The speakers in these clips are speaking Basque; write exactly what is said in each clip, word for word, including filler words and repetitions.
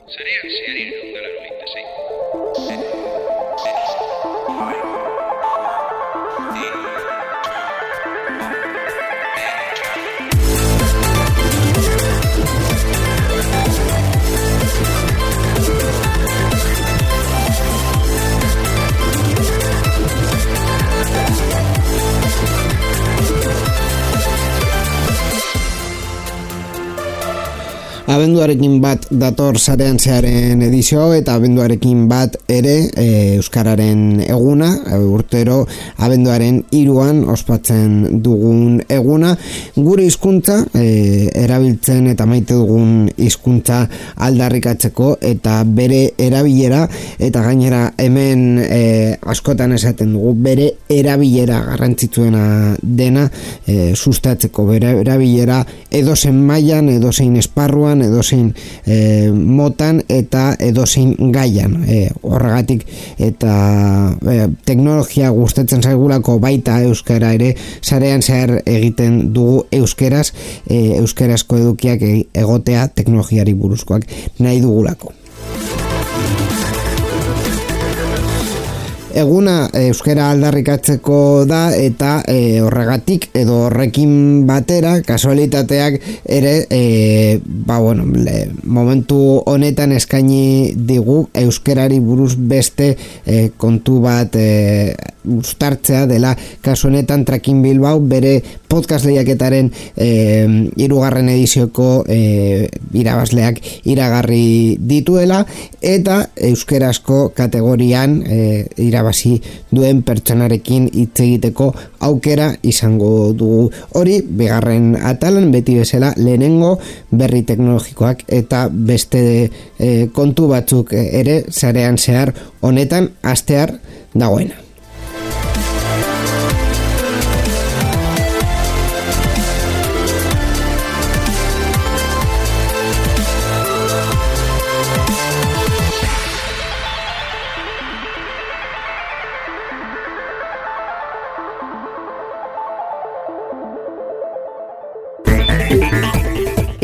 Sarean zeari ehun eta laurogeita sei. Abenduarekin bat dator Sarean Zearen edizio eta abenduarekin bat ere e, Euskararen eguna, e, urtero abenduaren hiruan ospatzen dugun eguna, gure hizkuntza e, erabiltzen eta maite dugun hizkuntza aldarrikatzeko eta bere erabilera, eta gainera hemen e, askotan esaten dugu bere erabilera garrantzitsuena dena e, sustatzeko, bere erabilera edozein mailan, edozein esparruan, edozein e, motan eta edozein gaian, e, horregatik eta e, teknologia gustatzen zaigulako baita euskara ere Sarean Zehar egiten dugu euskeraz, e, euskarazko edukiak egotea teknologiari buruzkoak nahi dugulako. Eguna euskara aldarrikatzeko da eta e, horregatik edo horrekin batera kasualitateak ere e, ba bueno, le, momentu honetan eskaini digu euskarari buruz beste e, kontu bat e, uztartzea dela, kasu honetan Tracking Bilbao bere podcast lehiaketaren e, hirugarren edizioko e, irabazleak iragarri dituela eta euskarazko kategorian e, irabazi duen pertsonarekin hitz egiteko aukera izango dugu. Hori bigarren atalan, beti bezala lehenengo berri teknologikoak eta beste e, kontu batzuk ere Sarean Zehar honetan astear dagoena.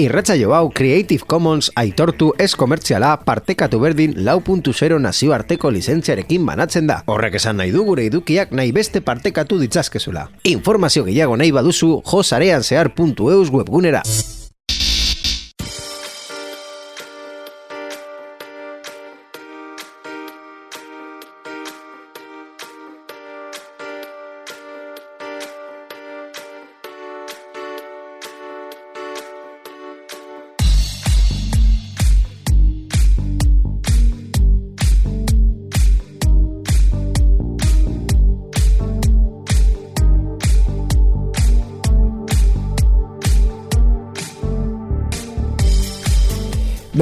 Irratsaio hau Creative Commons aitortu ez komertziala partekatu berdin lau puntu zero nazioarteko lizentziarekin banatzen da. Horrek esan nahi du gure edukiak nahi beste partekatu ditzazkezula. Informazio gehiago nahi baduzu jo sareanzehar puntu eus webgunera.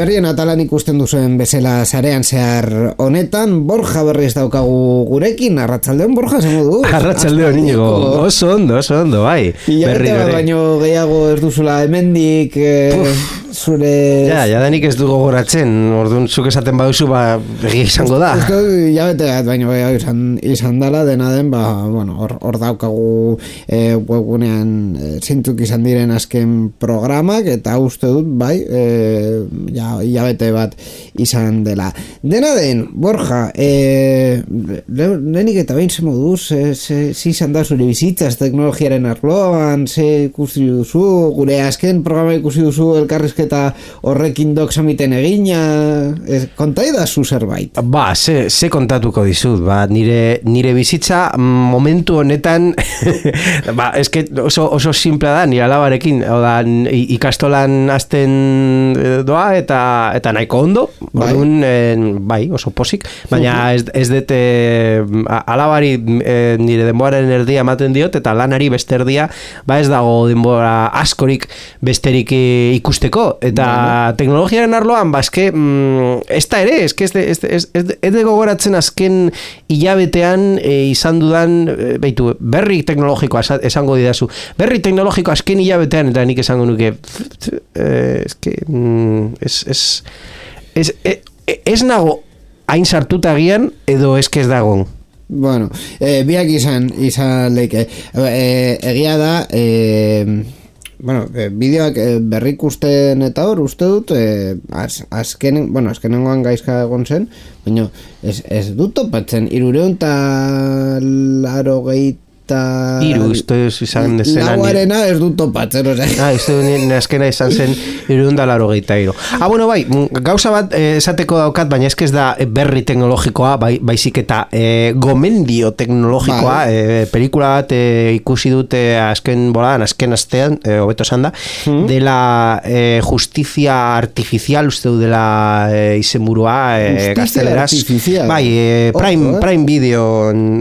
Berrien atalan ikusten duzuen bezala Sarean Zehar honetan, Borja berriz daukagu gurekin. Arratsaldeon, Borja, zengo du? Arratsaldeon, Inigo. Oso ondo, oso ondo, bai. Berri bat baino gehiago ez duzula hemendik eh, zure... Ja, ja danik ez du gogoratzen, orduan zuk esaten baduzu, ba, egia izango da. Uste, ja bete bat baino gehiago izan, izan dala, dena den, ba, bueno, hor, hor daukagu eh, webgunean eh, zintzuk izan diren azken programak, eta uste dut, bai, eh, ja, hilabete bat izan dela. Dena den, Borja, e, lehenik eta behin ze moduz, ze izan da zure bizitzaz teknologiaren arloan, ze ikusi duzu, gure azken programa ikusi duzu elkarrizketa horrekin doksamiten egina, e, kontai da zu zerbait? Ba, ze, ze kontatuko dizut, ba, nire, nire bizitza momentu honetan, ba, eske oso, oso simplea da, nire alabarekin, oda, ikastolan azten doa, eta Eta, eta nahiko ondo, bai. Orduan, eh, bai, oso posik, baina ez, ez dut eh, alabari eh, nire denboraren erdia ematen diot, eta lanari beste erdia, ba ez dago denbora askorik besterik eh, ikusteko, eta bai. Teknologiaren arloan, ba eske, mm, ez da ere, eske ez de, ez de, ez de, ez de gogoratzen azken hilabetean eh, izan dudan, eh, beitu, berri teknologikoa esango didazu, berri teknologikoa azken hilabetean, eta nik esango nuke, eh, eske, mm, ez Ez, ez, ez, ez nago hain sartuta gian edo ez ez dago? Bueno, eh, biak izan izan leike. Eh, egia da, eh, bueno, e, bideoak e, berrikusten eta hor, uste dut, e, az, azkenen, bueno, azkenengoan gaizka egon zen, baina ez, ez dut topatzen, irureun eta laro gehieta Iru, uste izan dezena lauarena ez dut topatzen, ose. Ah, uste azkena izan zen irureun eta laro gehieta iru. Ah, bueno, bai, gauza bat eh, esateko daukat, baina ez ez da berri teknologikoa, bai, baizik eta eh, gomendio teknologikoa, bai. eh, pelikula bat eh, ikusi dute azken boladan, azken astean, eh, hobeto esan da, hmm. dela eh, justizia artificial, uste du dela eh, izenburua, eh, gazteleraz. Bai, eh, Prime, Ojo, eh? Prime Video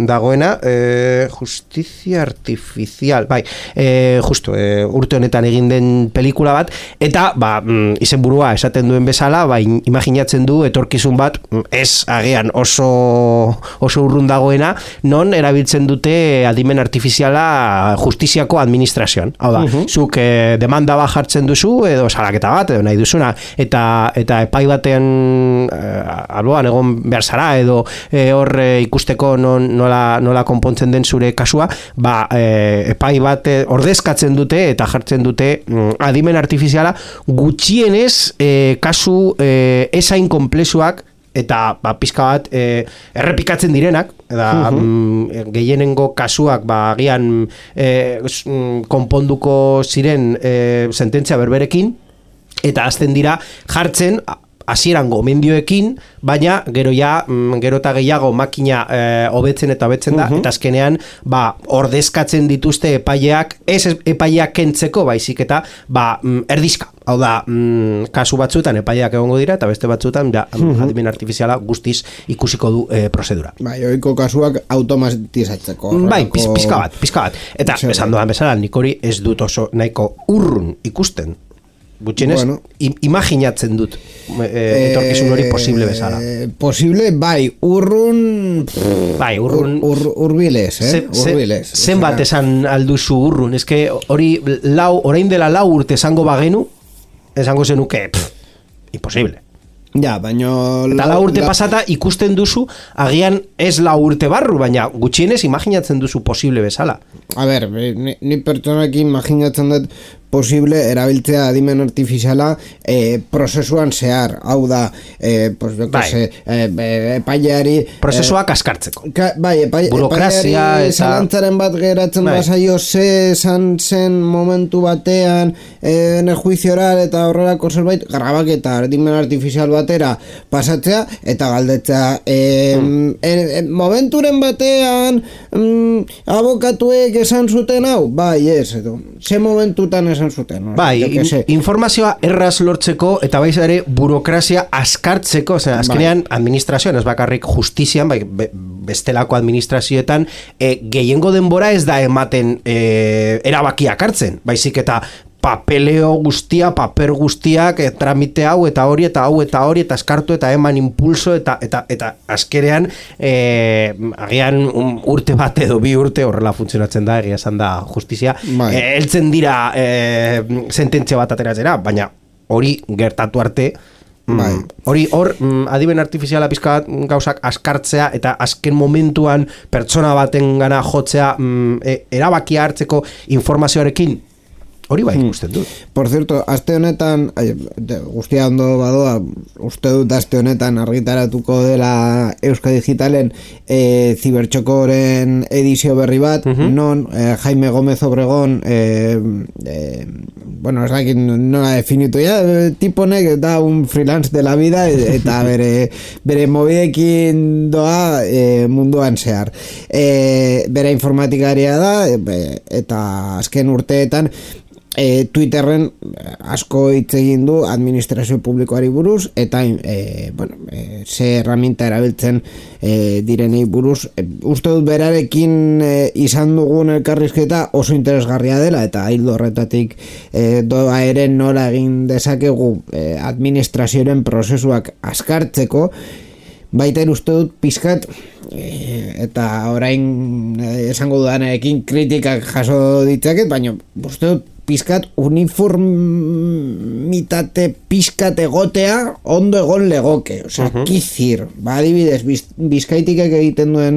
dagoena, eh, justizia artificial, bai, eh, justo, eh, urte honetan egin den pelikula bat, eta, ba, mm, izenburua esaten duen bezala, ba, imaginatzen du etorkizun bat, ez agian oso oso urrun dagoena, non erabiltzen dute adimen artifiziala justiziako administrazioan. Hau da, uh-huh. zuk eh, demanda bat jartzen duzu, edo salaketa bat, edo nahi duzuna, eta, eta epai batean eh, alboan egon behar zara, edo eh, hor eh, ikusteko non, nola, nola konpontzen den zure kasua, ba, e, epai bat ordezkatzen dute eta jartzen dute mm, adimen artifiziala gutxienez e, kasu e, esain komplexuak eta ba, pizka bat e, errepikatzen direnak da, uh-huh. mm, gehienengo kasuak ba, agian e, konponduko ziren e, sententzia berberekin eta azten dira jartzen hasieran gomendioekin, baina gero ja, gero eta gehiago makina e, hobetzen eta hobetzen da, uh-huh. eta azkenean ba, ordezkatzen dituzte epaileak, ez epaileak kentzeko baizik eta ba, erdizka. Hau da, mm, kasu batzuetan epaileak egongo dira, eta beste batzuetan ja, uh-huh. adimen artifiziala guztiz ikusiko du e, prozedura. Bai, ohiko kasuak automatizatzeko. Bai, piz, pizka bat, pizka bat. Eta, Zer, esan doan bezala, nik hori ez dut oso nahiko urrun ikusten. Gutxienez, bueno, imaginatzen dut e, etorkizun hori posible bezala. Posible, bai, urrun... Bai, urrun... Ur, ur, urbilez, eh? Urbilez. Zen bat esan alduzu urrun, eske hori lau, orain dela lau urte esango bagenu, esango zenuke, pff, imposible. Ja, baina... Eta lau urte la... pasata ikusten duzu, agian ez lau urte barru, baina gutxienez imaginatzen duzu posible bezala. A ber, ni, ni pertsonak imaginatzen dut posible erabiltzea adimen artifiziala eh, prozesuan zehar, hau da eh, pues, bai. se, eh, epaileari prozesuak eh, askartzeko ka, bai, epai, burokrazia eta zalantzaren bat geratzen bai. Bazaio ze esan zen momentu batean eh, en el juicio oral eta horrelako zerbait grabaketa adimen artifizial batera pasatzea eta galdetzea eh, hmm. en, en, momenturen batean mm, abokatuek esan zuten hau, bai ez edo, ze momentutan esan zuten, no? Bai, informazioa erraz lortzeko eta baiz ere burokrazia askartzeko, osea, azkenean bai. Administrazioan ez bakarrik justizian, bai, be, bestelako administrazioetan e, gehiengo denbora ez da ematen e, erabakiak hartzen, baizik eta papeleo guztia, paper guztiak, e, tramite hau eta hori eta hau eta hori eta eskartu eta eman impulso eta eta eta azkerean e, agian un, urte bat edo bi urte horrela funtzionatzen da, egia esan da justizia, e, heltzen dira e, sententzia bat ateratzera, baina hori gertatu arte bai. Hori hor adimen artifiziala pizka gauzak askartzea eta azken momentuan pertsona baten gana jotzea e, erabakia hartzeko informazioarekin hori bai ikusten dut. Por cierto, aste honetan, guztia ondo badoa, uste dut aste honetan argitaratuko dela Euska Digitalen e, zibertxokoren edizio berri bat, uh-huh. non e, Jaime Gómez Obregón, e, e, bueno, ez dakit nola definitu ya, tiponek da un freelance de la vida eta bere, bere mobidekin doa e, munduan zehar. E, bere informatikaria da, e, eta azken urteetan, E, Twitterren asko hitz egin du administrazio publikoari buruz eta e, bueno, e, ze herramienta erabiltzen e, direnei buruz e, uste dut berarekin e, izan dugun elkarrizketa oso interesgarria dela eta hildo horretatik e, doa ere nola egin dezakegu e, administrazioaren prozesuak askartzeko. Baita uste dut pizkat e, eta orain e, esango dudanekin kritikak jaso ditzaket, baina uste dut pizkat uniformitate pizkat egotea ondo egon legoke, osea, uh-huh. kizir, ba, adibidez, biz, bizkaitikak egiten duen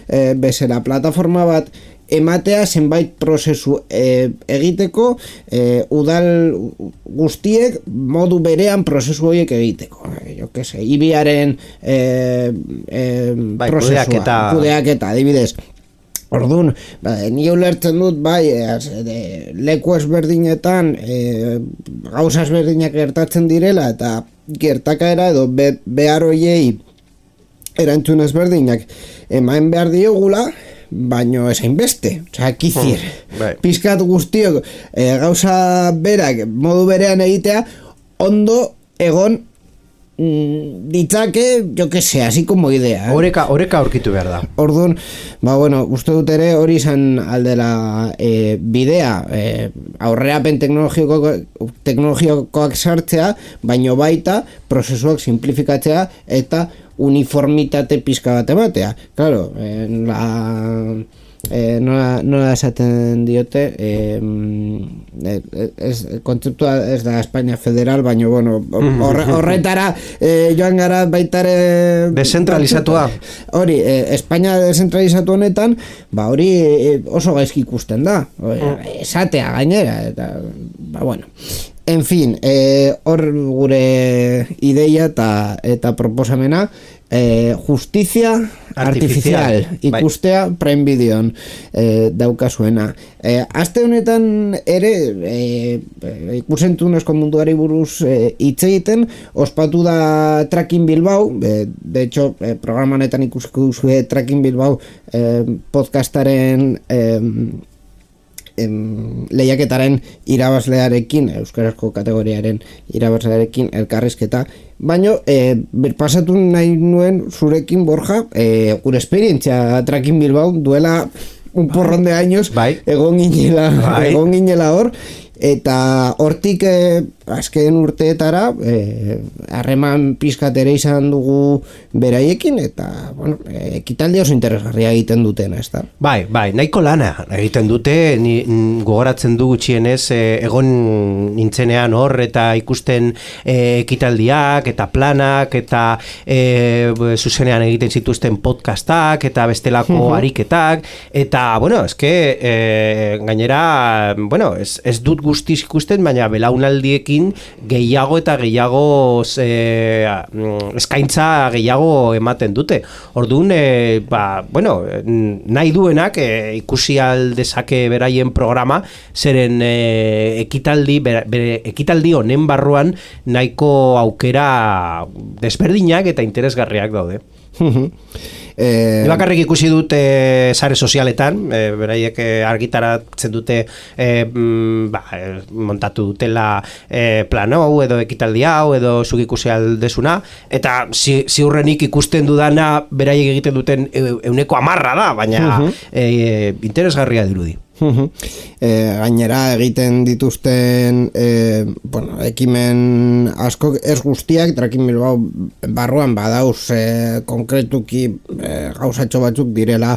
e, bezala plataforma bat ematea zenbait prozesu e, egiteko e, udal guztiek modu berean prozesu horiek egiteko. Jo que se, ibiaren e, e, bai, prozesua, kudeaketa, kudeaketa, adibidez. Orduan, ba, ni ulertzen dut, bai, e, leku ezberdinetan e, gauza ezberdinak gertatzen direla, eta gertakaera edo be, behar hoiei erantzun ezberdinak eman behar diogula, baino esain beste, oza, kizir, bai. pizkat guztiok e, gauza berak modu berean egitea, ondo egon ditzake, jo que se, así como idea. Eh? Oreka, oreka aurkitu behar da. Orduan, ba bueno, uste dut ere hori izan aldela e, bidea, e, aurrerapen teknologiko, teknologikoak sartzea, baino baita prozesuak simplifikatzea eta uniformitate pizka bat ematea. Claro, en la... Eh, nola, nola esaten diote eh, ez, kontzeptua ez da Espainia federal, baina bueno, horre, horretara eh, joan gara baitare descentralizatua hori, eh, Espainia descentralizatu honetan ba hori eh, oso gaizki ikusten da esatea gainera eta, ba bueno en fin, eh, hor gure ideia eta, eta proposamena Eh, justizia artificial, artificial ikustea bai. Prime Videon eh, daukasuena eh, aste honetan ere eh, ikusentunezko munduari buruz hitz eh, egiten ospatu da Tracking Bilbao eh, de hecho eh, programa honetan ikusiko duzue Tracking Bilbao eh, podcastaren eh, lehiaketaren irabazlearekin, euskarazko kategoriaren irabazlearekin elkarrizketa, baina e, pasatu nahi nuen zurekin, Borja, e, gure esperientzia Tracking Bilbao duela un porrón de años bai. egon ginela, bai. egon ginela hor, eta hortik e, azken urteetara harreman e, pizkat ere izan dugu beraiekin eta bueno, e, ekitaldi oso interesgarria egiten dutena, ezta? Bai, bai, nahiko lana egiten dute, ni, n, gogoratzen du gutxienez e, egon nintzenean hor eta ikusten e, ekitaldiak eta planak eta e, zuzenean egiten zituzten podcastak eta bestelako uh-huh. ariketak eta, bueno, eske e, gainera, bueno, ez, ez dut guztiz ikusten, baina belaunaldiekin gehiago eta gehiago e, eskaintza gehiago ematen dute. Orduan, e, ba, bueno, nahi duenak e, ikusi aldezake beraien programa, zeren e, ekitaldi, bere, bere, ekitaldi honen barruan nahiko aukera desberdinak eta interesgarriak daude. Eh, bakarrik ikusi dut e, sare sozialetan, e, beraiek e, argitaratzen dute e, mm, ba, e, montatu dutela e, plan hau edo ekitaldi hau edo zuk ikusi aldezuna eta zi, ziurrenik ikusten dudana beraiek egiten duten euneko amarra da, baina uh-huh. e, interesgarria dirudi. Uh-huh. E, gainera egiten dituzten e, bueno, ekimen asko ez guztiak Tracking Bilbao barruan badauz e, konkretuki e, gauzatxo batzuk direla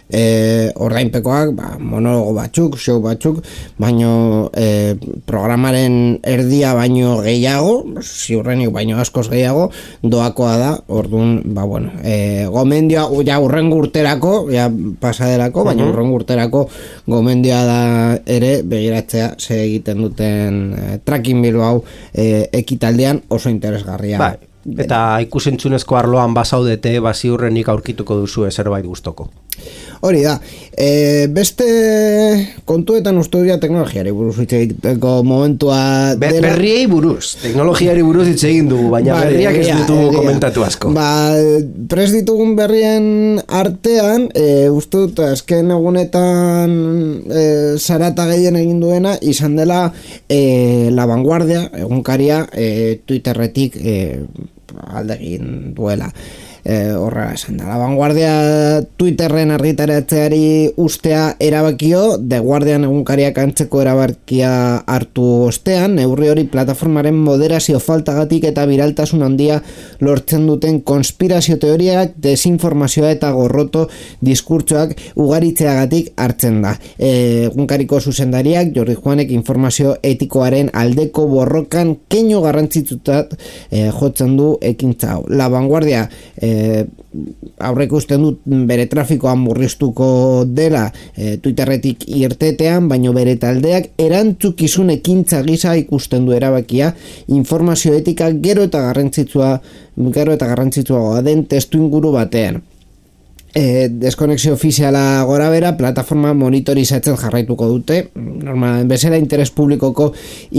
e, ordainpekoak, ba, monologo batzuk, show batzuk, baino e, programaren erdia baino gehiago, ziurrenik baino askoz gehiago, doakoa da, orduan, ba, bueno, e, gomendioa, ja urrengo urterako, ja pasaderako, baina uh-huh. urrengo urterako gomendioa da ere begiratzea ze egiten duten e, Tracking Bilbao e, ekitaldean oso interesgarria. Bai. Eta ikusentzunezko arloan bazaudete, ba ziurrenik aurkituko duzu zerbait gustoko. Hori da, e, beste kontuetan uste dira teknologiari buruz hitz egiteko momentua Be, dela. Berriei buruz, teknologiari buruz hitz egin dugu, baina ba, berriak ez ditugu komentatu asko. Ba, prest ditugun berrien artean, e, uste dut azken egunetan e, zarata gehien egin duena, izan dela e, La Vanguardia, egunkaria, e, Twitterretik e, aldegin duela. E, horra esan da. La Vanguardia Twitterren argitaratzeari ustea erabakio, The Guardian egunkariak antzeko erabakia hartu ostean, neurri hori plataformaren moderazio faltagatik eta biraltasun handia lortzen duten konspirazio teoriak, desinformazioa eta gorroto diskurtsoak ugaritzeagatik hartzen da. E, egunkariko zuzendariak Jordi Juanek informazio etikoaren aldeko borrokan keinu garrantzitsutat e, jotzen du ekintza hau. La Vanguardia e, e, aurreko usten dut bere trafikoa murriztuko dela e, Twitterretik irtetean, baino bere taldeak erantzukizun ekintza gisa ikusten du erabakia informazio etika gero eta garrantzitsua gero eta garrantzitsuagoa den testu inguru batean. E, deskonexio ofiziala gora bera, plataforma monitorizatzen jarraituko dute, normal, bezala interes publikoko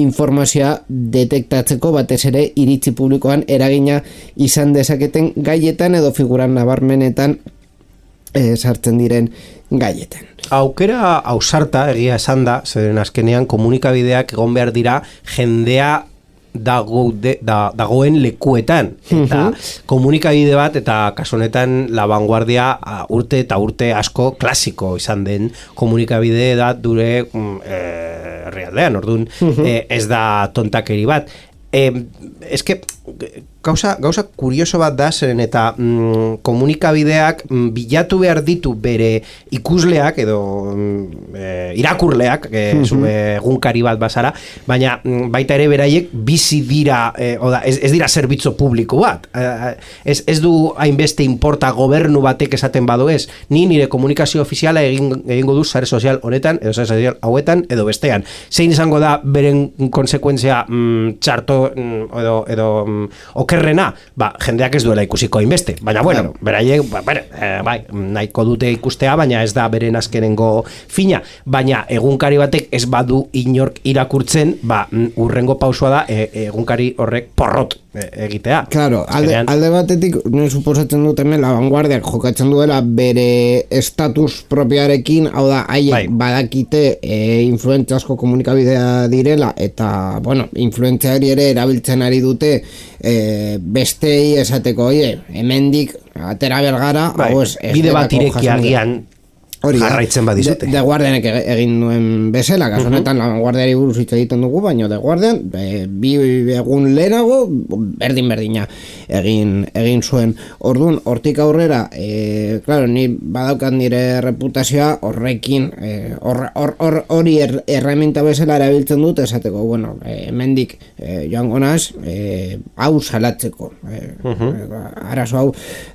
informazioa detektatzeko, batez ere iritzi publikoan eragina izan dezaketen gaietan edo figuran nabarmenetan e, sartzen diren gaietan. Aukera ausarta egia esan da, zeren azkenean komunikabideak egon behar dira jendea dago de, da, dagoen lekuetan eta komunikabide bat eta kasu honetan La Vanguardia urte eta urte asko klasiko izan den komunikabide da dure eh, realdean, orduan eh, ez da tontakeri bat. Eh, eske gauza, gauza kurioso bat da zeren eta mm, komunikabideak mm, bilatu behar ditu bere ikusleak edo mm, e, irakurleak e, mm-hmm. egunkari bat bazara, baina mm, baita ere beraiek bizi dira e, oda, ez, ez dira zerbitzu publiko bat e, ez, ez du hainbeste importa gobernu batek esaten badu ez, ni nire komunikazio ofiziala egin, egingo du sare sozial honetan edo sare sozial hauetan edo bestean, zein izango da beren konsekuentzia mm, txarto mm, edo, edo mm, okerrena, ba, jendeak ez duela ikusiko hainbeste, baina bueno, claro. beraiek, ba, bere, eh, bai, nahiko dute ikustea, baina ez da beren azkenengo fina, baina egunkari batek ez badu inork irakurtzen, ba, urrengo pausua da e, egunkari horrek porrot e, egitea. Claro, alde, alde batetik, nire suposatzen duten La Vanguardiak jokatzen duela bere estatus propioarekin, hau da, haiek bai. badakite e, influentzia asko komunikabidea direla, eta, bueno, influentziari ere erabiltzen ari dute e, bestei esateko, oie, hemendik atera bergara, bai, hau ez, bide bat ireki agian jarraitzen badizute. De, de Guardianek egin duen bezala, kasu honetan uh-huh. La Guardiari buruz hitz egiten dugu, baina De Guardian e, bi egun lehenago berdin-berdina egin egin zuen. Orduan, hortik aurrera, e, claro, ni badaukat nire reputazioa horrekin, e, hori or, or, or, er, erreminta bezala erabiltzen dut, esateko, bueno, e, hemendik e, joango naz, e, hau salatzeko, e, uh-huh. arazo hau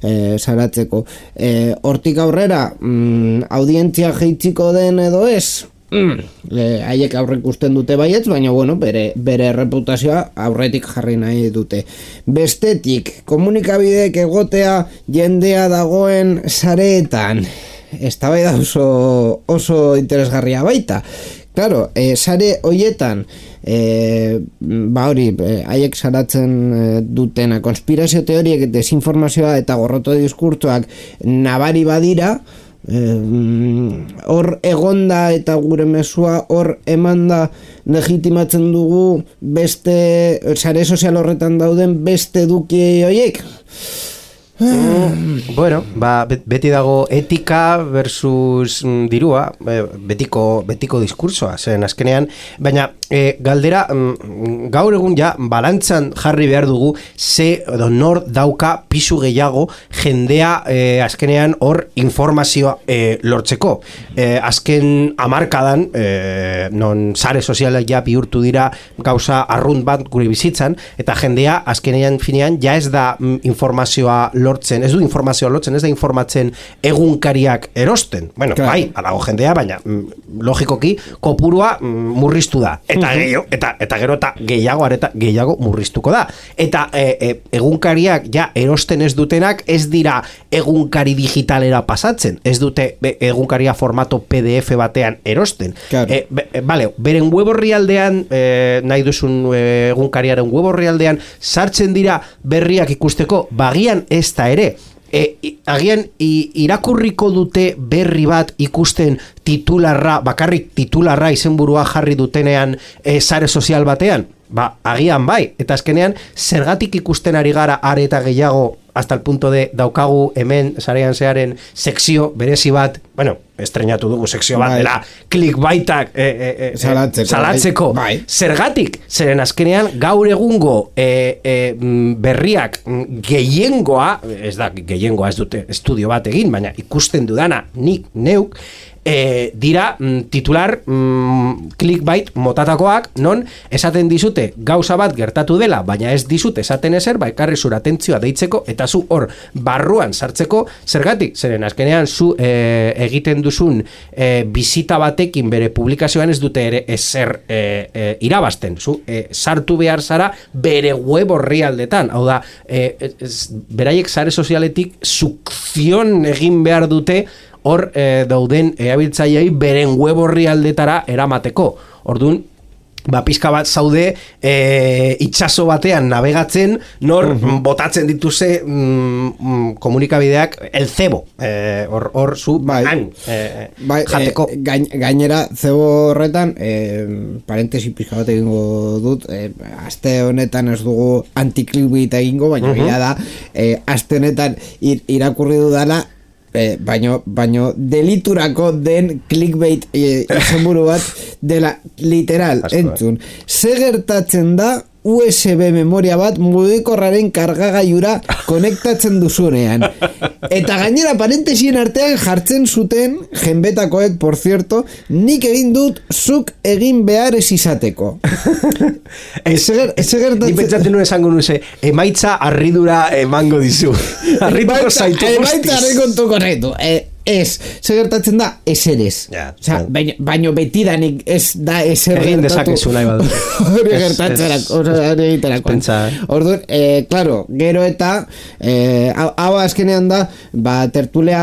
e, salatzeko. E, hortik aurrera, mm, audientzia jeitziko den edo ez, mm, haiek aurre ikusten dute baietz, baina bueno, bere, bere reputazioa aurretik jarri nahi dute. Bestetik, komunikabideek egotea jendea dagoen sareetan, eztabaida oso, oso interesgarria baita. Claro, e, sare hoietan, e, ba hori, haiek salatzen dutena, konspirazio teoriek, desinformazioa eta gorroto diskurtsoak nabari badira, hor eh, egonda eta gure mezua hor emanda legitimatzen dugu beste sare sozial horretan dauden beste eduki horiek. Mm, bueno, ba, beti dago etika versus mm, dirua, betiko, betiko diskursoa, zen azkenean, baina e, galdera mm, gaur egun ja balantzan jarri behar dugu ze edo nor dauka pisu gehiago jendea e, azkenean hor informazioa e, lortzeko. E, azken hamarkadan, e, non sare sozialak ja bihurtu dira gauza arrunt bat gure bizitzan, eta jendea azkenean finean ja ez da mm, informazioa lortzen, ez du informazioa lortzen, ez da informatzen egunkariak erosten. Bueno, claro. Bai, alago jendea, baina mm, logikoki kopurua mm, murriztu da. Eta uh-huh. gehiago, eta, eta gero eta gehiago areta gehiago murriztuko da. Eta e, e, egunkariak ja erosten ez dutenak ez dira egunkari digitalera pasatzen. Ez dute be, egunkaria formato P D F batean erosten. Claro. E, be, e, vale, beren web orrialdean, e, nahi duzun e, egunkariaren web orrialdean sartzen dira berriak ikusteko, bagian ez da ere. E, agian irakurriko dute berri bat ikusten titularra, bakarrik titularra izenburua jarri dutenean e, sare sozial batean? Ba, agian bai, eta azkenean zergatik ikusten ari gara are eta gehiago hasta el punto de daukagu hemen sarean zearen sekzio berezi bat, bueno, estrenatu dugu sekzio bat, bai. Dela clickbaitak e, e, e, salatzeko, salatzeko. Bai. Zergatik, zeren azkenean gaur egungo e, e, berriak gehiengoa, ez da gehiengoa ez dute estudio bat egin, baina ikusten dudana nik neuk, e, dira mm, titular mm, clickbait motatakoak, non esaten dizute gauza bat gertatu dela, baina ez dizute esaten ezer, ba ekarri zure atentzioa deitzeko, eta zu hor barruan sartzeko, zergatik, zeren azkenean zu e, egiten duzun e, bizita batekin bere publikazioan ez dute ere ezer e, e, irabazten, zu e, sartu behar zara bere web orrialdetan, hau da, e, ez, beraiek sare sozialetik sukzion egin behar dute hor e, dauden erabiltzaileei beren web orrialdetara eramateko. Orduan, ba, pizka bat zaude e, itxaso batean navegatzen, nor uh-huh. botatzen dituze mm, komunikabideak el cebo, e, hor, hor zu bai, han, e, bai, jateko. E, gain, gainera, zebo horretan, e, parentesi pizka bat egingo dut, e, aste honetan ez dugu anti-clickbait egingo, baina uh-huh. da, e, aste honetan ir, irakurri dudala, E, baino, baino deliturako den clickbait e, izenburu bat dela literal, entzun. Ze gertatzen da U S B memoria bat mugikorraren kargagailura konektatzen duzunean. Eta gainera parentesien artean jartzen zuten jenbetakoek, por cierto, nik egin dut zuk egin behar ez izateko. Eze gertatzen... Ni pentsatzen nuen esango nuze, emaitza harridura emango dizu. Harrituko zaitu guztiz. Emaitza harrikontuko zaitu. E, ez, ze gertatzen da, ezer ez. Ja, o sea, baino, baino betidanik ez da ezer egin dezakezu nahi badu. Hori gertatzerak, hori egiterakoan. Orduan, eh, claro, gero eta eh, hau azkenean da, ba, tertulea,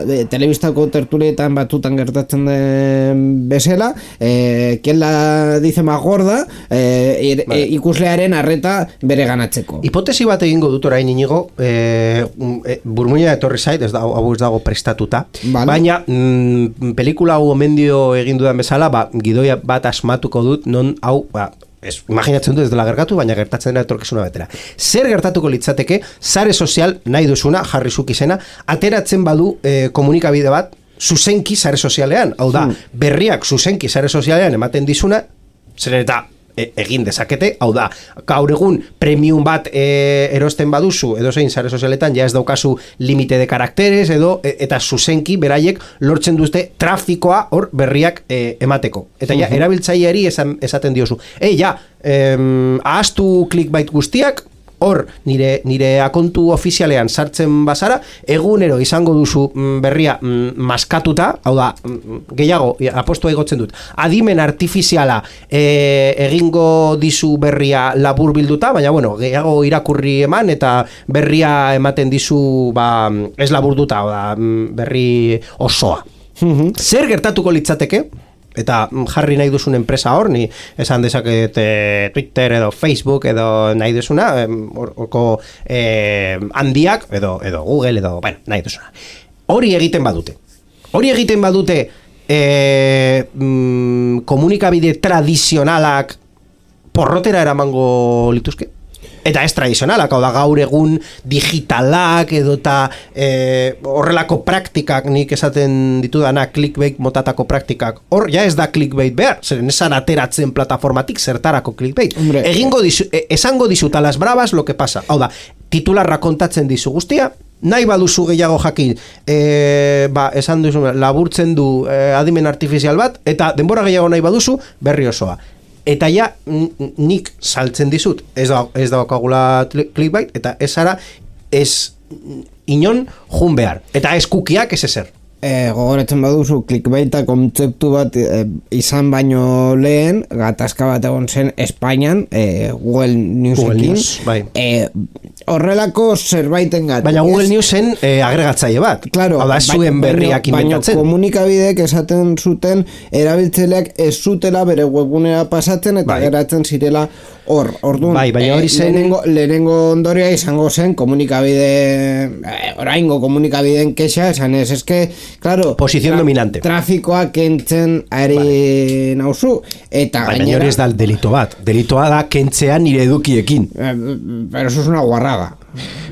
eh, telebistako tertulietan batutan gertatzen den bezala, eh, quien la dice más gorda, eh, ir, vale. eh, ikuslearen arreta bere ganatzeko. Hipotesi bat egingo dut orain inigo, eh, eh, burmuina etorri zait, ez dago, hau ez dago prestatu. Vale. Baina mm, pelikula hau omendio egin dudan bezala, ba, gidoia bat asmatuko dut, non hau, ba, ez, imaginatzen dut ez dela gertatu, baina gertatzen dela etorkizuna betera. Zer gertatuko litzateke, sare sozial nahi duzuna, jarri zuk izena, ateratzen badu eh, komunikabide bat, zuzenki sare sozialean, hau da, hmm. berriak zuzenki sare sozialean ematen dizuna, zer eta egin dezakete, hau da, gaur egun premium bat e, erosten baduzu, edo zein sare sozialetan, ja ez daukazu limite de karakteres, edo, e, eta zuzenki beraiek lortzen duzte trafikoa hor berriak e, emateko. Eta ja, uh-huh. erabiltzaileari esan, esaten diozu. Ei, ja, em, ahaztu clickbait guztiak, hor, nire, nire akontu ofizialean sartzen bazara, egunero izango duzu mm, berria mm, maskatuta, hau da, mm, gehiago, apostua igotzen dut, adimen artifiziala e, egingo dizu berria labur bilduta, baina bueno, gehiago irakurri eman, eta berria ematen dizu, ba, ez laburduta, hau da, berri osoa. Mm-hmm. Zer gertatuko litzateke? Eta jarri nahi duzun enpresa hor, ni esan dezaket e, Twitter edo Facebook edo nahi duzuna, horko e, handiak, edo, edo Google edo, bueno, nahi duzuna. Hori egiten badute. Hori egiten badute e, mm, komunikabide tradizionalak porrotera eramango lituzke? Eta ez tradizionalak, hau da gaur egun digitalak edo eta e, horrelako praktikak nik esaten ditudana clickbait motatako praktikak, hor ja ez da clickbait behar, zeren esan ateratzen plataformatik zertarako clickbait. Hombre, egingo dizu, e, esango dizut a las bravas lo que pasa, hau da, titularra kontatzen dizu guztia, nahi baduzu gehiago jakin, e, ba, esan duzu, laburtzen du e, adimen artifizial bat, eta denbora gehiago nahi baduzu, berri osoa. Eta ja, nik saltzen dizut, ez da, ez daukagula clickbait, eta ez ara, ez inon jun behar. Eta ez kukiak ez ezer. E, gogoratzen baduzu, clickbaita kontzeptu bat e, izan baino lehen, gatazka bat egon zen Espainian, e, Google Newsekin. News, bai. E, horrelako zerbaiten gat. Baina Google Newsen e, agregatzaile bat. Claro, hau da, zuen berriak inventatzen. Baina komunikabideek esaten zuten, erabiltzaileak ez zutela bere webgunera pasatzen, eta bai. geratzen zirela hor. Orduan, bai, baina hori zen... lehenengo, lehenengo ondoria izango zen komunikabide, eh, oraingo komunikabideen kexa, esan ez, eske, claro, posición tra- dominante. Trafikoa kentzen ari vale. nauzu, eta baina gainera... hori ez da delito bat. Delitoa da kentzea nire edukiekin. Eh, pero eso es una guarrada.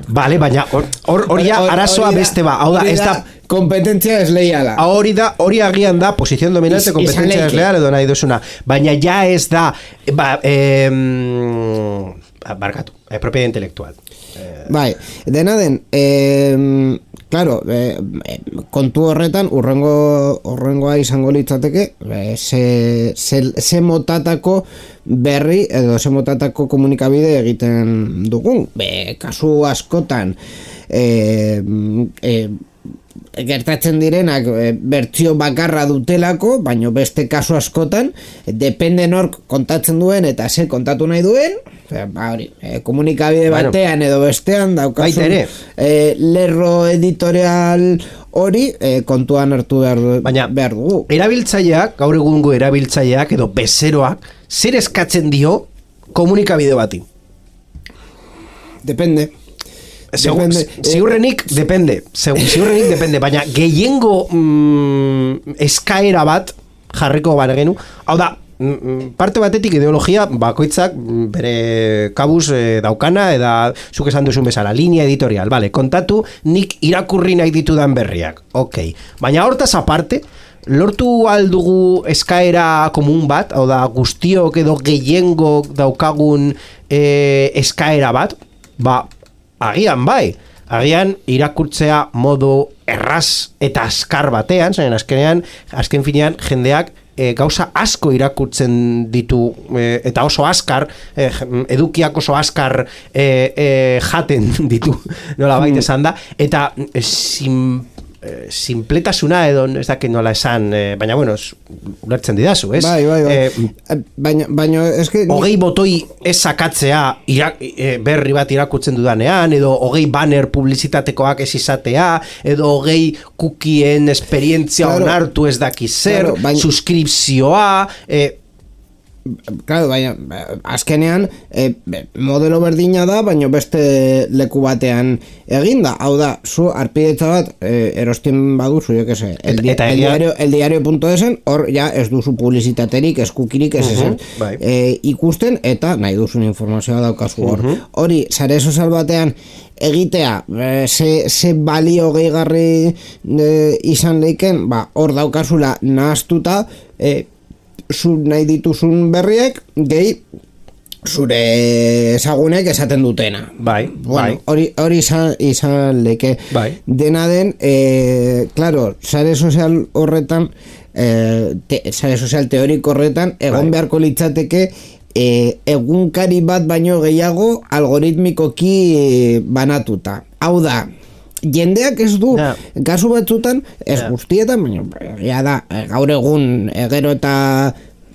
Vale, baina hori da arazoa beste ba. Hau da, ez da... kompetentzia desleiala. Hori da, hori agian da, posición dominante, kompetentzia desleiala edo nahi duzuna. Baina ja ez da, ba, eh, barkatu, eh, propiedad intelektual. Eh. Bai, dena den, eh, claro, e, e, kontu horretan urrengo urrengoa izango litzateke e, ze, ze, ze motatako berri edo ze motatako komunikabide egiten dugun. Be, kasu askotan e, e, gertatzen direnak e, bertsio bakarra dutelako, baino beste kasu askotan depende nork kontatzen duen eta ze kontatu nahi duen, ba, hori, e, komunikabide bueno, batean edo bestean daukazun e, lerro editorial hori e, kontuan hartu behar, du, baina, behar dugu. Erabiltzaileak, gaur egungo erabiltzaileak edo bezeroak, zer eskatzen dio komunikabide bati? Depende. Depende. Ziurrenik depende, ziurrenik depende, baina gehiengo mm, eskaera bat jarriko banegenu, hau da, parte batetik ideologia bakoitzak bere kabuz e, daukana eta zuk esan duzun bezala, linea editorial, vale, kontatu nik irakurri nahi ditudan berriak, ok, baina hortaz aparte lortu aldugu eskaera komun bat, hau da guztiok edo gehiengo daukagun e, eskaera bat, ba agian bai, agian irakurtzea modu erraz eta azkar batean, zain azkenean, azken finean jendeak e, gauza asko irakurtzen ditu e, eta oso azkar, e, edukiak oso azkar e, e, jaten ditu, nola baita esan da, eta e, sim, e, simpletasuna edo ez dakit nola esan, e, baina bueno, ulertzen didazu, ez? Bai, bai, bai. E, baina, baina, eske... Hogei botoi ez sakatzea irak, e, berri bat irakurtzen dudanean, edo hogei banner publizitatekoak ez izatea, edo hogei cookien esperientzia claro, onartu ez dakiz zer, claro, baina, suskripzioa... E, Claro, baina, azkenean e, modelo berdina da, baina beste leku batean eginda. Hau da, zu arpidetza bat e, erosten baduzu, jo que se, el, el, el diario, el diario.esen, hor ja ez duzu publizitaterik, eskukirik, ez uh -huh, bai. e, ikusten, eta nahi duzun informazioa daukazu hor. Uh -huh. Hori, sare sozial batean egitea, e, ze, ze balio gehigarri e, izan leiken, ba, hor daukazula nahaztuta, e, zu nahi dituzun berriek gehi zure ezagunek esaten dutena. Bai, bueno, bai. Hori, hori izan, izan leke. Bai. Dena den, e, claro, sare sozial horretan, e, te, sare sozial teoriko horretan, egon bai. Beharko litzateke e, egunkari bat baino gehiago algoritmikoki banatuta. Hau da, jendeak ez du, yeah. kasu batzutan, ez yeah. guztietan, baina ja da, gaur egun gero eta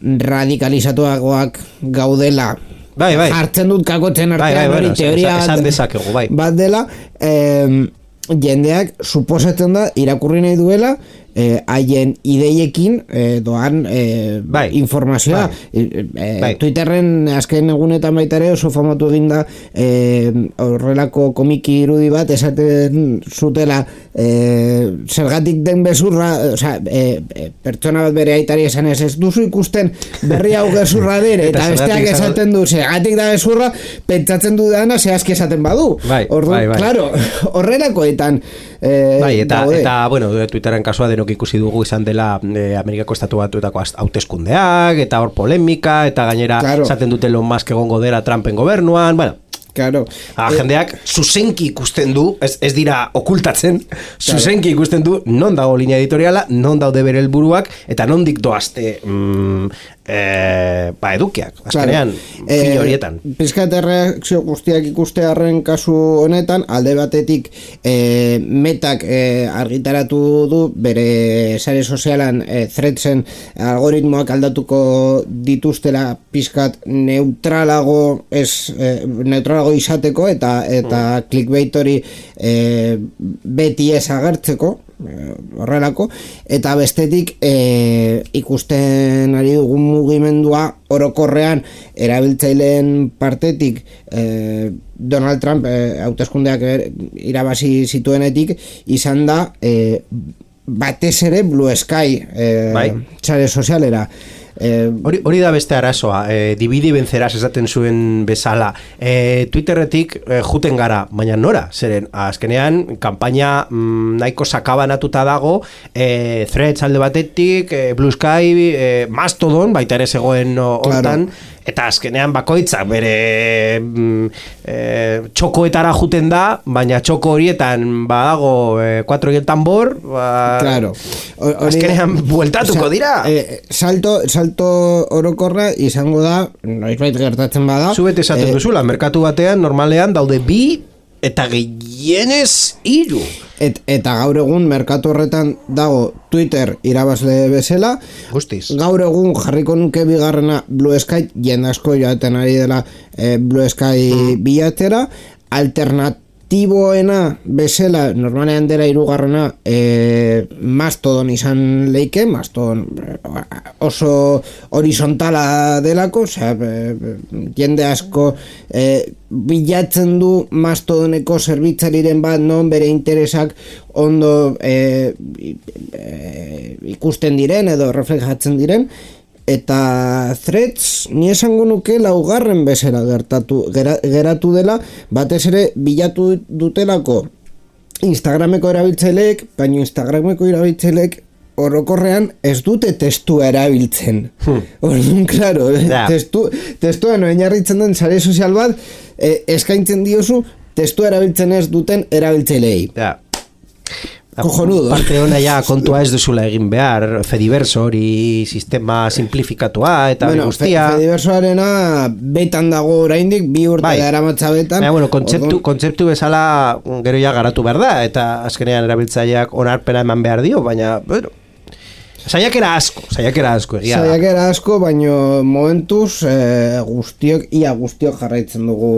radikalizatuagoak gaudela, bai, bai. Jartzen dut kakotzen artean, bai, bai, hori bueno, teoria esan dezakegu, bai. bat dela, eh, jendeak suposatzen da irakurri nahi duela haien eh, ideiekin eh, doan eh, bai, informazioa bai, eh, bai. Twitterren azken egunetan baita ere oso famatu eginda eh, horrelako komiki irudi bat esaten zutela eh, zergatik den bezurra, osea, eh, pertsona bat bere aitari esan ez ez duzu ikusten berri hau gezurra den eta besteak esaten du zergatik da bezurra, pentsatzen du dana zehazki esaten badu. Bai, Ordu, bai, bai. Claro, horrelakoetan eh, bai, eta, daude. eta bueno, Twitterren kasua denok ikusi dugu izan dela eh, Amerikako estatu batuetako hauteskundeak eta hor polemika eta gainera claro. Esaten dute Elon Musk egongo dela Trumpen gobernuan, bueno, claro. A, eh, jendeak zuzenki ikusten du, ez, ez dira okultatzen, zuzenki ikusten du non dago linea editoriala, non daude bere helburuak eta nondik doazte mm, eh, ba, edukiak, azkenean claro. Fin horietan. Eh, Pizkat erreakzio guztiak ikustearen kasu honetan, alde batetik eh, metak eh, argitaratu du bere sare sozialan eh, threadsen algoritmoak aldatuko dituztela pizkat neutralago ez eh, neutralago izateko eta eta mm. clickbait hori e, beti ez agertzeko e, horrelako eta bestetik e, ikusten ari dugun mugimendua orokorrean erabiltzaileen partetik e, Donald Trump e, hauteskundeak irabazi zituenetik izan da e, batez ere Blue Sky e, bai. Sare sozialera. Hori, hori da beste arazoa, eh, dividi benzeraz esaten zuen bezala. Eh, Twitterretik eh, juten gara, baina nora, zeren azkenean kanpaina mm, nahiko sakabanatuta dago, eh, Threads alde batetik, eh, Blue Sky, eh, Mastodon, baita ere zegoen hortan, claro. eta azkenean bakoitzak bere mm, e, txokoetara juten da, baina txoko horietan badago e, cuatro y el tambor, ba, claro. O, azkenean bueltatuko dira. E, salto, salto orokorra izango da, noizbait gertatzen bada. Zubet esaten e, duzula, merkatu batean normalean daude bi eta gehienez hiru. Et, eta gaur egun merkatu horretan dago Twitter irabazle bezala. Guztiz. Gaur egun jarriko nuke bigarrena Blue Sky, jende asko joaten ari dela e, Blue Sky mm. bilatera. Alternatiboena bezala, normalean dela hirugarrena e, Mastodon izan leike, Mastodon oso horizontala delako, osea, e, jende asko e, bilatzen du Mastodoneko zerbitzariren bat non bere interesak ondo e, e, ikusten diren edo reflejatzen diren, eta Threads ni esango nuke laugarren bezala gertatu gera, geratu dela, batez ere bilatu dutelako Instagrameko erabiltzaileek, baina Instagrameko erabiltzaileek orokorrean ez dute testua erabiltzen. Hmm. Orduan, claro, yeah. testu, testuan oinarritzen den sare sozial bat eh, eskaintzen diozu testua erabiltzen ez duten erabiltzaileei. Yeah. Cojonudo. Parte hona ja kontua ez duzula egin behar, Fediverso hori sistema simplifikatua eta bueno, guztia. Fe, Fediversoarena betan dago oraindik, bi urte bai. Daramatza betan. Baina, bueno, kontzeptu, Ordon... kontzeptu bezala gero ja garatu behar da, eta azkenean erabiltzaileak onarpena eman behar dio, baina, bueno, saiakera asko, saiakera asko egia da. Saiakera asko, baino momentuz eh, guztiok, ia guztiok jarraitzen dugu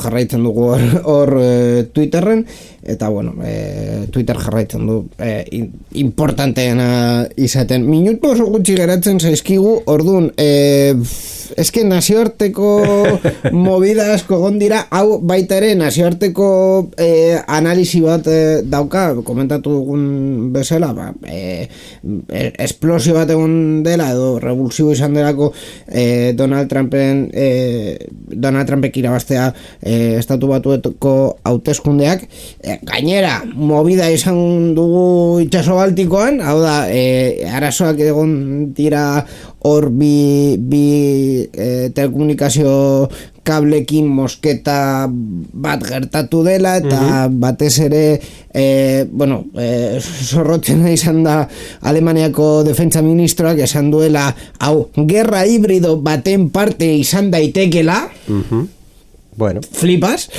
jarraitzen dugu hor, hor eh, Twitterren, eta bueno, eh, Twitter jarraitzen du eh, importanteena izaten. Minutu oso gutxi geratzen zaizkigu, orduan, eh, eske nazioarteko movida asko gondira, hau baita ere nazioarteko eh, analisi bat eh, dauka, komentatu dugun bezala, ba, eh, esplosio bat egon dela edo revulsibo izan delako eh, Donald Trumpen eh, Donald Trumpek irabaztea eh, estatu batuetako hauteskundeak, eh, gainera movida izan dugu itsaso Baltikoan, hau da eh, arazoak egon dira hor bi, bi eh, telekomunikazio kablekin mosketa bat gertatu dela, eta mm-hmm. batez ere eh, bueno, eh, zorrotzen izan da Alemaniako defentsa ministroak esan duela, hau, gerra hibrido baten parte izan daitekela. Mm-hmm. Bueno. Flipas,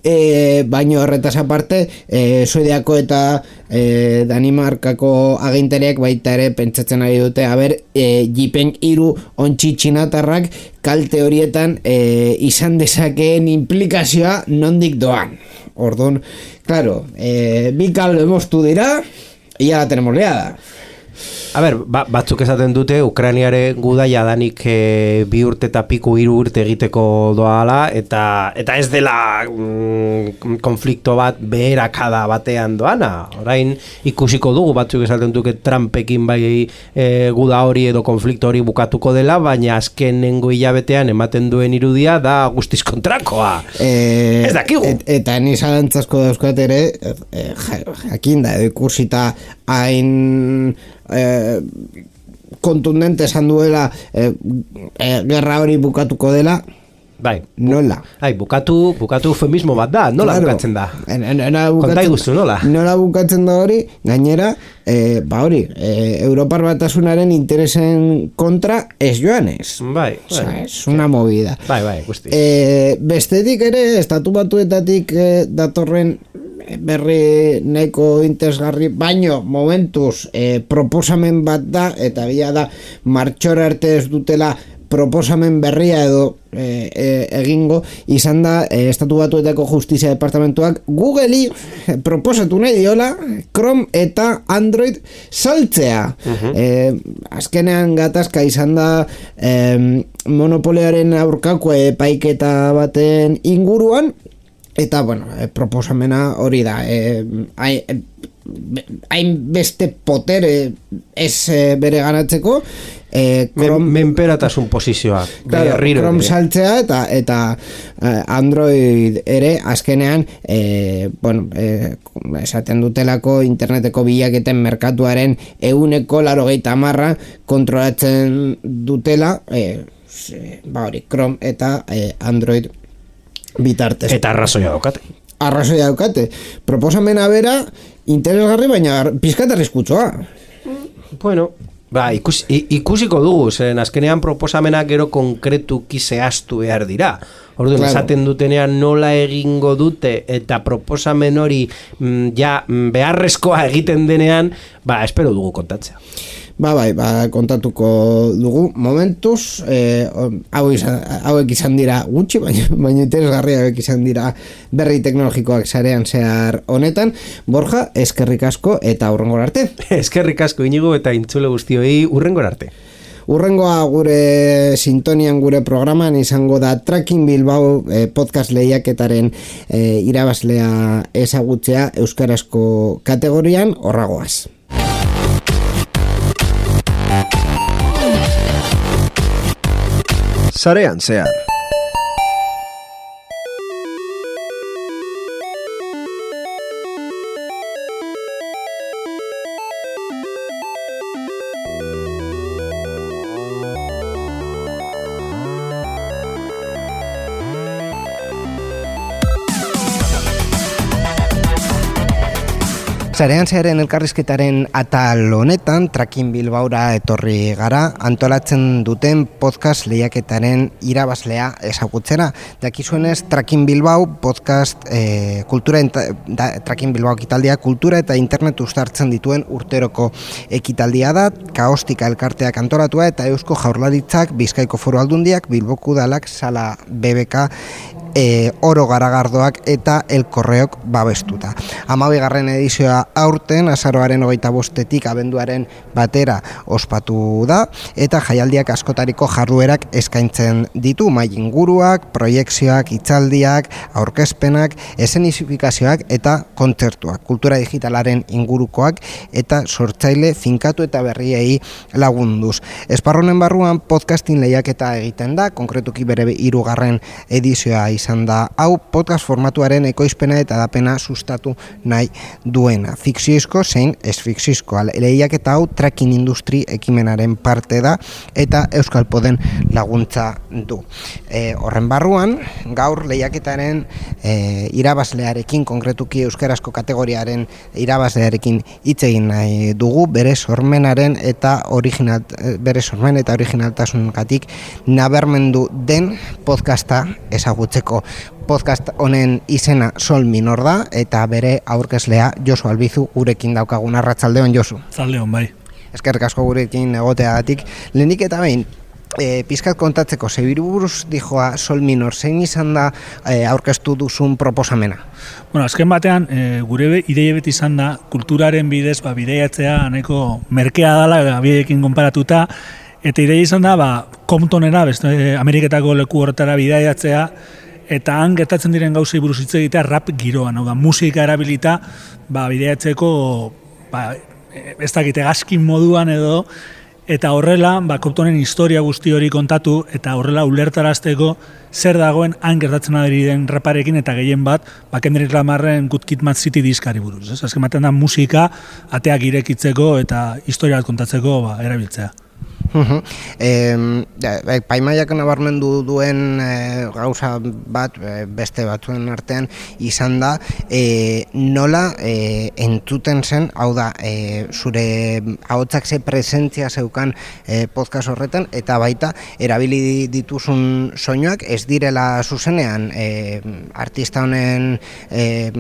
eh, baino horretaz aparte, eh, Suediako eta eh, Danimarkako aginteriak baita ere pentsatzen ari dute, haber, eh, Jipen hiru ontsi txinatarrak kalte horietan eh, izan dezakeen implikazioa nondik doan. Orduan, claro, eh, bi kable moztu dira, ia la tenemos liada. A ber, ba, batzuk esaten dute Ukrainiare guda jadanik e, bi urte eta piku hiru urte egiteko doala, eta eta ez dela mm, konflikto bat beherakada batean doana. Orain ikusiko dugu, batzuk esaten duke Trumpekin bai e, guda hori edo konflikto hori bukatuko dela, baina azkenengo hilabetean ematen duen irudia da guztiz kontrakoa. E, ez dakigu. Et, eta ni zalantzazko dauzkat ere, e, jakin da, edo ikusita hain Eh, kontundente esan duela eh, eh, gerra hori bukatuko dela. Bai, nola? Ai, bukatu, bukatu eufemismo bat da, nola claro. Bukatzen da? En, en, en, bukatzen, kontai guztu, nola? Nola bukatzen da hori, gainera, eh, ba hori, eh, Europar Batasunaren interesen kontra ez joanez. Bai, bai. Osa, es una movida. Bai, bai, guzti. Eh, bestetik ere, estatu batuetatik eh, datorren berri nahiko interesgarri, baino momentuz eh, proposamen bat da, eta bila da martxora arte ez dutela proposamen berria edo e, e, egingo, izan da e, Estatu Batuetako Justizia Departamentuak Googleri proposatu nahi diola Chrome eta Android saltzea. Uh-huh. e, azkenean gatazka izan da e, monopolioaren aurkako epaiketa baten inguruan, eta bueno, e, proposamena hori da, e, hain beste potere ez e, bere ganatzeko, e, Chrome, menperatasun posizioa, claro, Chrome saltzea eta eta eh, Android ere azkenean eh, bueno, eh, esaten dutelako interneteko bilaketen merkatuaren ehuneko laurogeita hamarra kontrolatzen dutela, eh, ze, ba hori, Chrome eta eh, Android bitartez. Eta arrazoia daukate. Arrazoia daukate. Proposamena bera, interesgarri, baina pizkat arriskutsua. Bueno, ba, ikus, ikusiko dugu, zen azkenean proposamena gero konkretuki zehaztu behar dira. Orduan, claro. Esaten dutenean nola egingo dute eta proposamen hori mm, ja beharrezkoa egiten denean, ba, espero dugu kontatzea. Ba, bai, ba, kontatuko dugu momentuz, eh, hau izan, hauek izan dira gutxi, baina, baina interesgarri hauek izan dira berri teknologikoak sarean zehar honetan. Borja, eskerrik asko eta hurrengora arte. Eskerrik asko Inigo eta intzule guztioi hurrengora arte. Urrengoa gure sintonian gure programan izango da Tracking Bilbao eh, podcast lehiaketaren eh, irabazlea ezagutzea euskarazko kategorian horragoaz. Sarean zehar. Sarean zearen elkarrizketaren atal honetan, Tracking Bilbaora etorri gara, antolatzen duten podcast lehiaketaren irabazlea ezagutzera. Dakizuenez, Tracking Bilbao podcast, eh, kultura da, Tracking Bilbao ekitaldia, kultura eta internet uztartzen dituen urteroko ekitaldia da, Kaostika elkarteak antolatua eta Eusko Jaurlaritzak, Bizkaiko Foru Aldundiak, Bilboko Udalak, Sala B B K, E, oro garagardoak eta elkorreok babestuta. Hamabigarren edizioa aurten azaroaren hogeita bostetik abenduaren batera ospatu da eta jaialdiak askotariko jarduerak eskaintzen ditu, mai inguruak, proiekzioak, hitzaldiak, aurkezpenak, esenifikazioak eta kontzertuak, kultura digitalaren ingurukoak eta sortzaile finkatu eta berriei lagunduz. Esparronen barruan podcasting lehiaketa egiten da, konkretuki bere hirugarren edizioa izan da hau podcast formatuaren ekoizpena eta dapena sustatu nahi duena. Fikzioizko zein ez fikzioizkoa. Lehiaketa hau tracking industri ekimenaren parte da eta Euskal Poden laguntza du. E, horren barruan, gaur lehiaketaren e, irabazlearekin, konkretuki euskarazko kategoriaren irabazlearekin hitz egin nahi dugu, bere sormenaren eta original, bere sormen eta originaltasungatik nabarmendu den podcasta ezagutzeko. Podcast honen izena Sol Minor da eta bere aurkezlea Josu Albizu gurekin daukagun. Arratsaldeon, Josu. Arratsaldeon, bai. Eskerrik asko gurekin egoteagatik. Lehenik eta behin, e, pizkat kontatzeko, zebiru buruz dijoa Sol Minor, zein izan da e, aurkeztu duzun proposamena? Bueno, azken batean, e, gure ideia beti izan da, kulturaren bidez, ba, bideiatzea nahiko merkea dela, bideekin konparatuta, eta ideia izan da, ba, Comptonera, beste Ameriketako leku horretara bideiatzea, eta han gertatzen diren gauzei buruz hitz egitea rap giroan, hau da, musika erabilita, ba, bideiatzeko, ba, ez dakite gaskin moduan edo, eta horrela, ba, Comptonen historia guzti hori kontatu, eta horrela ulertarazteko zer dagoen han gertatzen ari den raparekin, eta gehien bat, ba, Kendrick Lamarren Good Kid, Mad City diskari buruz. Ez? Azken batean da musika ateak irekitzeko eta historia bat kontatzeko ba, erabiltzea. Uh-huh. E, Paimaiak nabarmendu duen e, gauza bat e, beste batzuen artean izan da e, nola e, entzuten zen, hau da, e, zure ahotsak ze presentzia zeukan e, podcast horretan, eta baita erabili dituzun soinuak ez direla zuzenean e, artista honen e,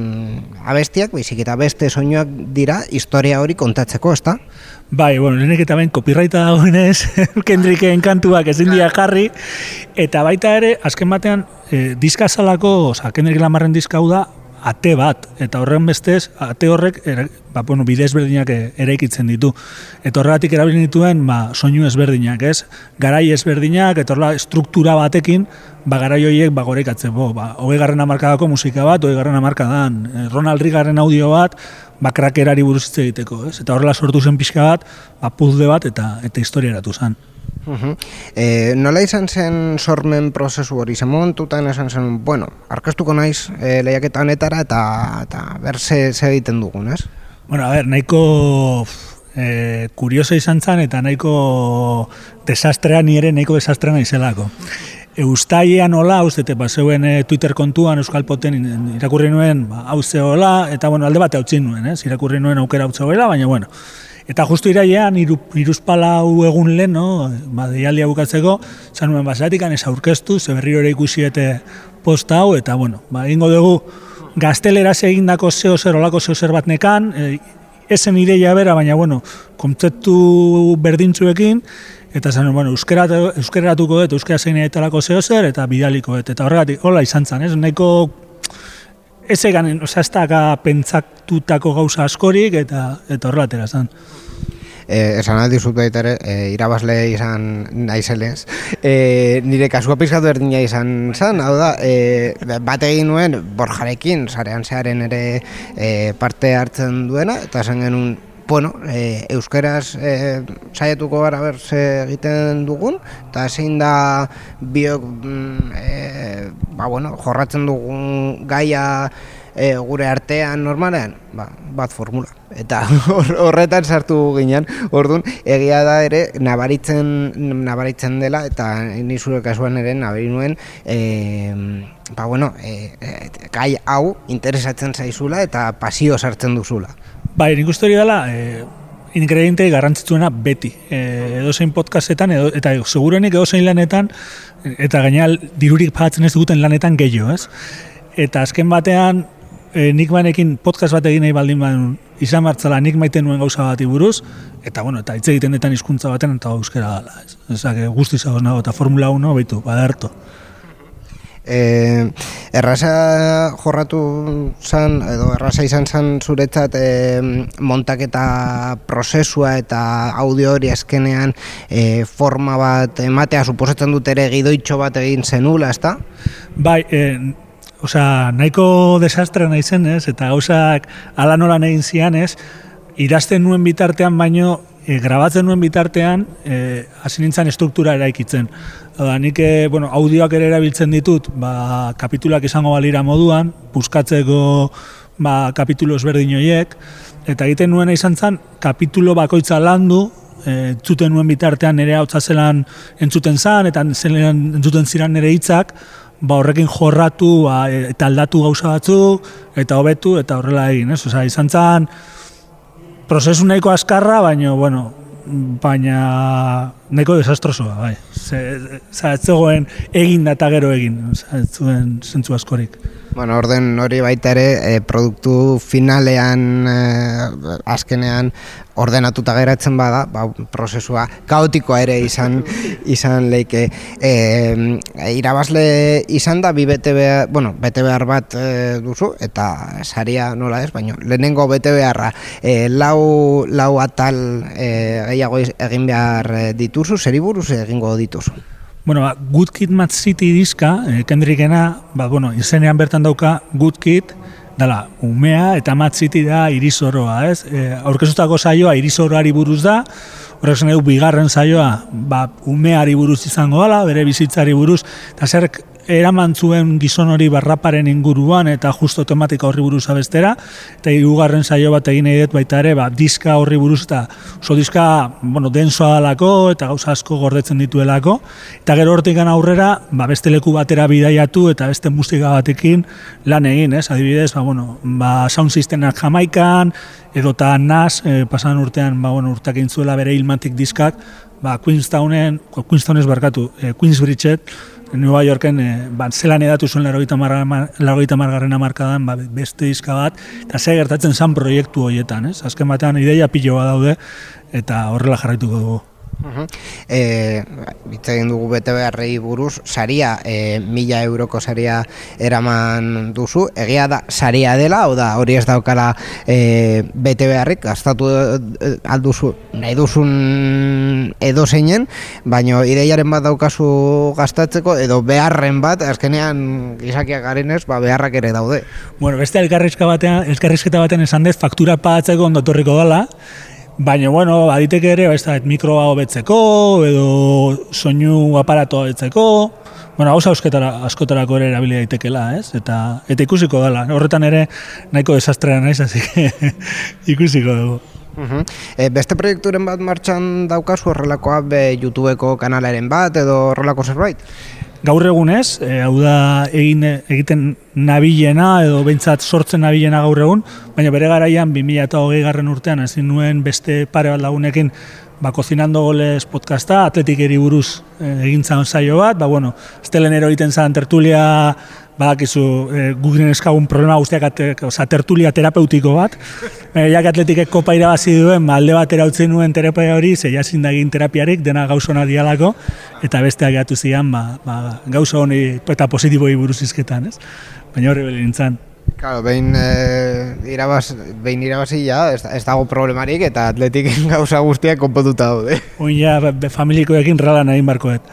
abestiak, baizik eta beste soinuak dira historia hori kontatzeko, ezta? Bai, bueno, lehenek eta ben copyrighta dagoenez, Kendricken kantuak ezin dira jarri, eta baita ere, azken batean, e, diska salako, oza, Kendrick Lamarren diska hau da, ate bat, eta horren bestez, ate horrek, ere, ba, bueno, bide ezberdinak eraikitzen ditu. Eta horregatik erabili dituen, ba, soinu ezberdinak, ez? Garai ezberdinak, eta horrela, struktura batekin, ba, garai horiek, ba, gorekatzen, bo, ba, hogei garren hamarkadako musika bat, hogei garren hamarkadan, Ronald Reaganen audio bat, ba, krakerari buruz hitz egiteko, ez? Eta horrela sortu zen pixka bat, ba, puzzle bat, eta, eta historia eratu zen. Uh-huh. E, nola izan zen sormen prozesu hori? Zen momentutan esan zen, bueno, arkeztuko naiz e, lehiaketa honetara eta, eta ber ze, ze egiten dugun, ez? Bueno, a ver, nahiko e, kurioso izan zen, eta nahiko desastrea, ni ere nahiko desastrea naizelako. Eustaia nola, ustete, ba, zeuen e, Twitter kontuan Euskal Poten irakurri nuen, ba, hau zehola, eta bueno, alde bate hautzin nuen, ez? Irakurri nuen aukera hau zehoela, baina bueno. Eta justu irailean, iru, iruzpalau egun lehen, no? Ba, deialdia bukatzeko, zan nuen basatikan ez aurkeztu, ze berriro ere ikusiete posta hau, eta bueno, ba, egingo dugu gazteleraz egindako zeo zer, olako zeo zer bat nekan, e, esen ideia bera, baina bueno, kontzeptu berdintzuekin, eta zan, bueno, euskeratuko dut, euskera zein etalako zeo zer, eta bidaliko dut, eta horregatik, hola izan zen, ez? Nahiko, ez egan, oza, ez da pentsatutako gauza askorik, eta, eta horregatera zen. Eh, esan aldi zut baita ere, eh, irabazle izan naizelez. Eh, nire kasua pizkatu erdina izan zen, hau da, eh, bat egin nuen Borjarekin, sarean zearen ere eh, parte hartzen duena, eta esan genuen, bueno, eh, euskeraz eh, saietuko gara ber ze egiten dugun, eta zein da biok eh, ba, bueno, jorratzen dugun gaia e, gure artean normalean, ba, bat formula. Eta horretan sartu ginen, orduan, egia da ere nabaritzen, nabaritzen dela, eta ni zure kasuan ere nabari nuen, e, ba, bueno, e, e, gai hau interesatzen zaizula eta pasio sartzen duzula. Bai, nik uste hori dela, e, ingrediente garrantzitsuena beti. E, edozein podcastetan, edo, eta segurenik edozein lanetan, eta gainera dirurik pagatzen ez duguten lanetan gehiago, ez? Eta azken batean, e, nik banekin podcast bat egin nahi baldin badun, izan martzala nik maite nuen gauza bati buruz, eta bueno, eta hitz egiten detan hizkuntza baten eta euskera gala. Ez? Ezak, guztiz agoz nago, eta Formula uno, baitu, baderto. Eh, erraza jorratu zan, edo erraza izan zan zuretzat eh, montaketa prozesua eta audio hori azkenean eh, forma bat ematea, suposatzen dut ere gidoitxo bat egin zenula, ezta? Bai, eh, osea, nahiko desastre nahi zen, ez? Eta gauzak ala nola egin zian, ez? Idazten nuen bitartean baino, e, grabatzen nuen bitartean, e, hasi nintzen estruktura eraikitzen. Da, nik, e, bueno, audioak ere erabiltzen ditut, ba, kapituluak izango balira moduan, buskatzeko ba, kapitulo ezberdin horiek, eta egiten nuena izan zen, kapitulo bakoitza landu, e, entzuten nuen bitartean nire hautza zelan entzuten zan, eta zelan entzuten ziren nire hitzak, ba, horrekin jorratu ba, eta aldatu gauza batzuk, eta hobetu, eta horrela egin, ez? Osea, izan zen, prozesu nahiko azkarra, baina, bueno, baina nahiko desastrosoa, bai. Ez zegoen egin da eta gero egin, ez zuen zentzu askorik. Bueno, orden hori baita ere, e, produktu finalean, e, azkenean ordenatuta geratzen bada, ba, prozesua kaotikoa ere izan izan leike. E, irabazle izan da, bi bete behar, bueno, bete behar bat e, duzu, eta saria nola ez, baina lehenengo bete beharra, e, lau, lau atal e, gehiago egin behar dituzu, zeri buruz egingo dituzu? Bueno, ba, Good Kid, Mad City diska, eh, Kendrickena, ba, bueno, izenean bertan dauka Good Kid, dala, umea, eta Mad City da irizoroa, ez? E, aurkezutako saioa irizoroari buruz da, horrek zen edo bigarren saioa, ba, umeari buruz izango dela, bere bizitzari buruz, eta zer eraman zuen gizon hori barraparen inguruan eta justo tematika horri buruz abestera, eta hirugarren saio bat egin nahi dut baita ere, ba, diska horri buruz, eta oso diska, bueno, densoa dalako, eta gauza asko gordetzen dituelako, eta gero hortikan aurrera, ba, beste leku batera bidaiatu, eta beste musika batekin lan egin, ez? Adibidez, ba, bueno, ba, sound systemak Jamaikan, edota Nas, eh, pasan urtean, ba, bueno, urteak egin zuela bere Ilmatic diskak, ba, Queenstownen, Queenstownez barkatu, eh, Queensbridget, New Yorken, eh, ba, zelan edatu zuen laurogeita hamargarren hamarkadan ba, beste diska bat, eta ze gertatzen zan proiektu horietan, ez? Azken batean ideia piloa daude, eta horrela jarraituko dugu. Uh-huh. E, Bitz egin dugu bete beharrei buruz, saria, e, mila euroko saria eraman duzu, egia da saria dela, hau da hori ez daukala e, bete beharrik, gastatu alduzu nahi duzun edo zeinen, baina ideiaren bat daukazu gastatzeko, edo beharren bat, azkenean gizakiak garenez, ba, beharrak ere daude. Bueno, beste elkarrizketa batean, elkarrizketa batean esan dez, faktura pagatzeko ondotorriko dela, baina, bueno, aditeke ere, ez da, mikroa hobetzeko, edo soinu aparatoa hobetzeko, bueno, hauza askotarako ere erabili daitekela, ez? Eta, eta ikusiko dela, horretan ere nahiko desastrea naiz, así que ikusiko dugu. Uh-huh. E, beste proiekturen bat martxan daukazu horrelakoa, be YouTubeko kanalaren bat edo horrelako zerbait? Gaur egunez, e, hau da egin, egiten nabilena edo behintzat sortzen nabilena gaur egun, baina bere garaian bi mila hogei garren urtean ezin nuen beste pare bat lagunekin ba, Cocinando Goles podcasta, atletikeri buruz e, egin zan saio bat, ba, bueno, estelenero egiten zan tertulia, badakizu, e, gugen eskagun problema guztiak, ate, oza, tertulia terapeutiko bat, e, jak atletikek kopa irabazi duen, ba, alde bat erautzen nuen terapia hori, ze jasin da egin terapiarik, dena gauza hona dialako, eta besteak gatu zian, ba, ba, gauza honi eta positiboi buruz izketan, ez? Baina horri beli nintzen. Claro, behin, e, irabaz, behin irabazi ja, ez, ez dago problemarik eta atletik gauza guztiak konpotuta daude. Oin ja, familikoekin ralan egin barkoet.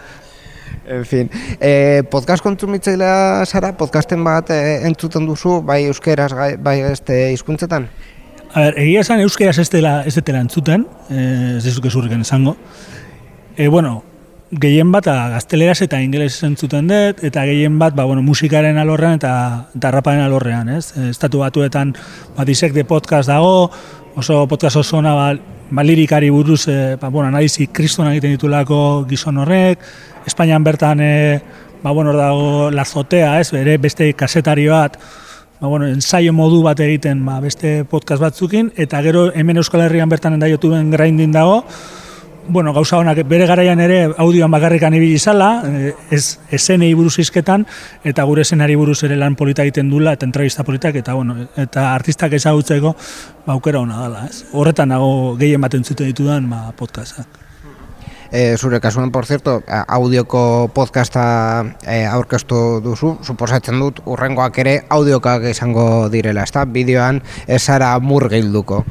En fin, e, podcast kontsumitzailea zara, podcasten bat e, entzuten duzu, bai euskeraz, bai este hizkuntzetan? A ber, egia esan euskeraz ez dela, ez dela entzuten, e, ez dezuk ezurriken esango. E, bueno, gehien bat gazteleraz eta ingeles entzuten dut, eta gehien bat ba, bueno, musikaren alorrean eta, eta raparen alorrean, ez? Estatu Batuetan ba, Dissect de podcast dago, oso podcast oso ona ba, ba, lirikari buruz, e, ba, bueno, analizi kriston egiten ditulako gizon horrek, Espainian bertan e, ba, bueno, dago La Azotea, ez? Bere beste kasetari bat, ba, bueno, ensaio modu bat egiten ba, beste podcast batzukin, eta gero hemen Euskal Herrian bertan da YouTubeen grinding dago. Bueno, gauza honak bere garaian ere audioan bakarrikan ibili izala, ez esenei buruz hizketan eta gure esenari buruz ere lan polita egiten dula eta entrevista politak eta bueno, eta artistak ezagutzeko ba aukera ona dela, ez? Horretan nago gehien bat entzuten ditudan ba podcastak. E, zure kasuan, por cierto, audioko podcasta e, aurkeztu duzu, suposatzen dut urrengoak ere audiokak izango direla, ezta? Bideoan ez zara murgilduko.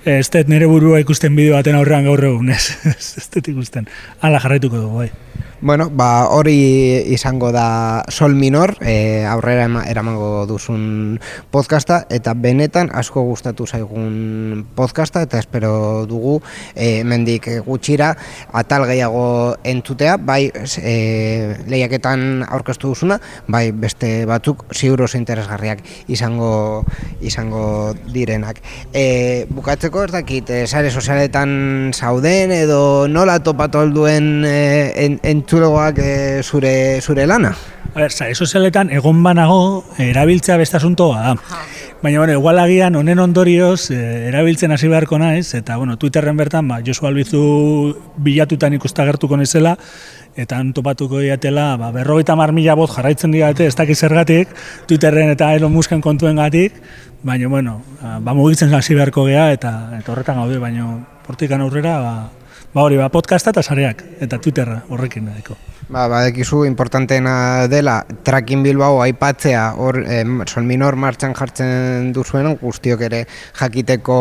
Ez dut nire burua ikusten bideo baten aurrean gaur egun, ez, ez dut ikusten. Hala jarraituko dugu, bai. Bueno, ba, hori izango da Sol Minor, e, aurrera eramango duzun podcasta, eta benetan asko gustatu zaigun podcasta, eta espero dugu e, mendik gutxira atal gehiago entzutea, bai e, lehiaketan aurkeztu duzuna, bai beste batzuk ziur oso interesgarriak izango izango direnak. E, bukatzeko ez dakit, e, sare sozialetan zauden edo nola topatu alduen e, en, entzulegoak e, zure, zure lana? A ber, sare sozialetan egon banago erabiltzea beste asuntoa da. Baina, bueno, igual agian honen ondorioz eh, erabiltzen hasi beharko naiz, eta, bueno, Twitterren bertan, ba, Josu Albizu bilatutan ikustagertuko nezela, eta han topatuko diatela, ba, berrogeita hamar mila bot jarraitzen diate, ez dakiz zergatik, Twitterren eta Elon Musken kontuen gatik, baina, bueno, ba, mugitzen hasi beharko gea, eta, eta horretan gaude, baina hortikan aurrera, ba, ba hori, ba, podcasta eta sareak, eta Twitterra horrekin daiko. Ba, badekizu importanteena dela Tracking Bilbao aipatzea hor eh, Sol Minor martxan jartzen duzuen guztiok ere jakiteko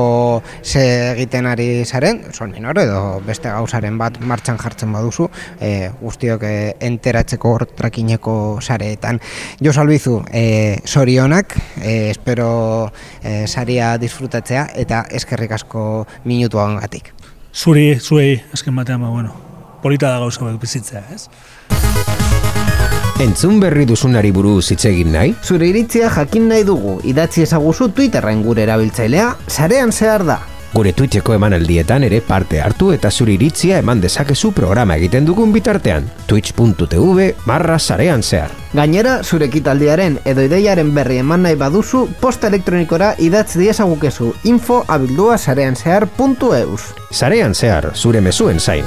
ze egiten ari zaren, Sol Minor edo beste gauzaren bat martxan jartzen baduzu, eh, guztiok eh, enteratzeko hor trakineko sareetan. Josu Albizu, eh, sorionak, eh, espero eh, saria disfrutatzea eta eskerrik asko minutu gatik. Zuri, zuei, azken batean, ba, bueno, polita da gauza hauek bizitzea, ez? Entzun berri duzunari buruz hitz egin nahi? Zure iritzia jakin nahi dugu, idatzi ezaguzu Twitterren gure erabiltzailea, sarean zehar da. Gure Twitcheko emanaldietan ere parte hartu eta zure iritzia eman dezakezu programa egiten dugun bitartean. twitch.tv barra sarean zehar. Gainera, zure ekitaldiaren edo ideiaren berri eman nahi baduzu, posta elektronikora idatzi diezagukezu info abildua sarean zehar puntu eus. Sarean zehar, zure mezuen zain.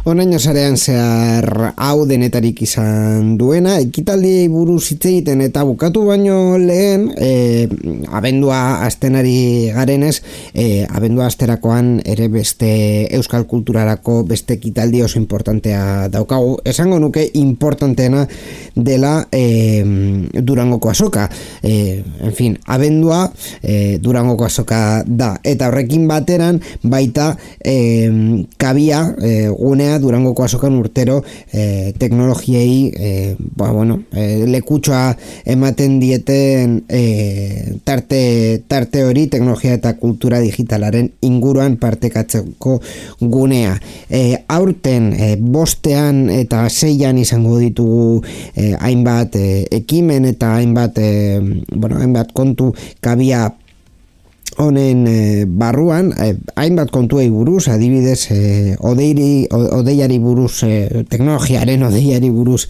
Onaino sarean zehar hau denetarik izan duena, ekitaldiei buruz hitz egiten eta bukatu baino lehen, e, abendua astenari garenez, e, abendua asterakoan ere beste euskal kulturarako beste ekitaldi oso importantea daukagu. Esango nuke importanteena dela e, Durangoko azoka. E, en fin, abendua e, Durangoko azoka da. Eta horrekin bateran baita e, kabia e, gunea Durangoko azokan urtero e, teknologiei e, ba, bueno, e, lekutsoa ematen dieten e, tarte, tarte hori teknologia eta kultura digitalaren inguruan partekatzeko gunea. E, aurten e, bostean eta seian izango ditugu e, hainbat e, ekimen eta hainbat, e, bueno, hainbat kontu kabia honen e, barruan, e, hainbat kontuei buruz, adibidez, e, odeiri, odeiari buruz, e, teknologiaren odeiari buruz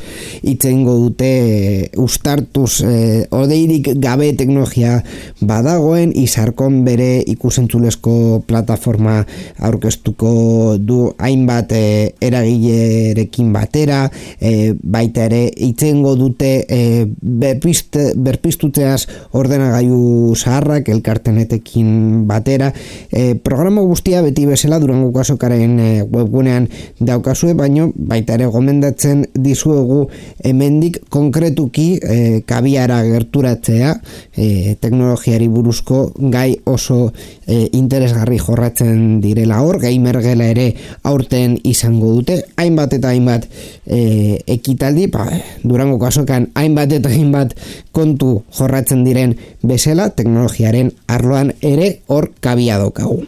itzengo dute, e, ustartuz, e, odeirik gabe teknologia badagoen, izarkon bere ikusentzulezko plataforma aurkeztuko du hainbat e, eragilerekin batera, e, baita ere itzengo dute e, berpiste, berpistutzeaz ordenagailu zaharrak elkartenetekin batera. E, programa guztia beti bezala Durangoko azokaren e, webgunean daukazue, baino baita ere gomendatzen dizuegu hemendik konkretuki e, kabiara gerturatzea, e, teknologiari buruzko gai oso e, interesgarri jorratzen direla hor, gamergela ere aurten izango dute, hainbat eta hainbat e, ekitaldi, ba, Durangoko azokan hainbat eta hainbat kontu jorratzen diren bezala, teknologiaren arloan ere hor kabia daukagu.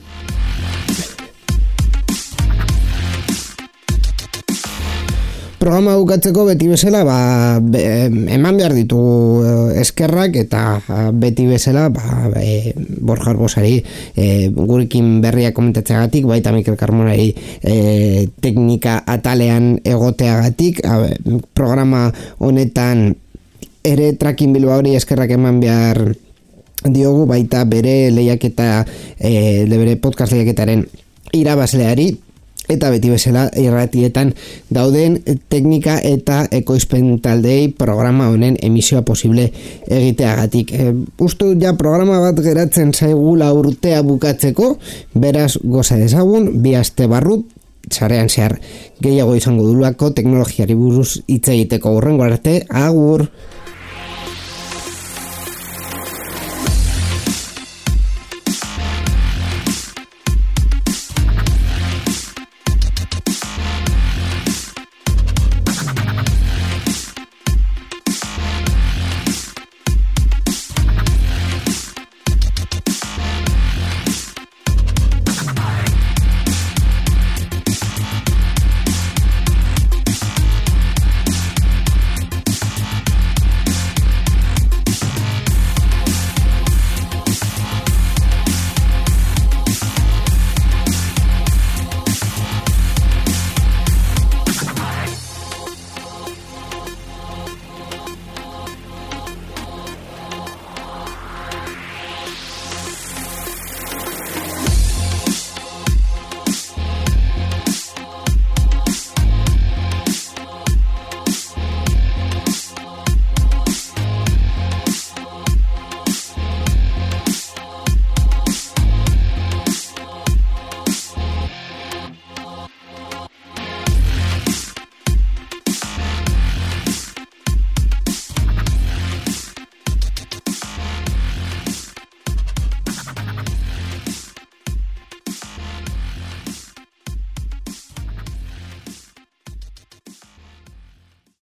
Programa bukatzeko beti bezala ba, be, eman behar ditugu eskerrak eta beti bezala ba, e, Borja Arbosari e, gurekin berria komentatzeagatik, baita Mikel Carmonari e, teknika atalean egoteagatik, a, programa honetan ere Trakin Bilbaori eskerrak eman behar diogu, baita bere lehiaketa e, bere podcast lehiaketaren irabazleari, eta beti bezala irratietan dauden teknika eta ekoizpen taldei programa honen emisioa posible egiteagatik. E, uste ja programa bat geratzen zaigula urtea bukatzeko, beraz goza dezagun, bi aste barru sarean zehar gehiago izango dulako teknologiari buruz hitz egiteko. Hurrengo arte, agur!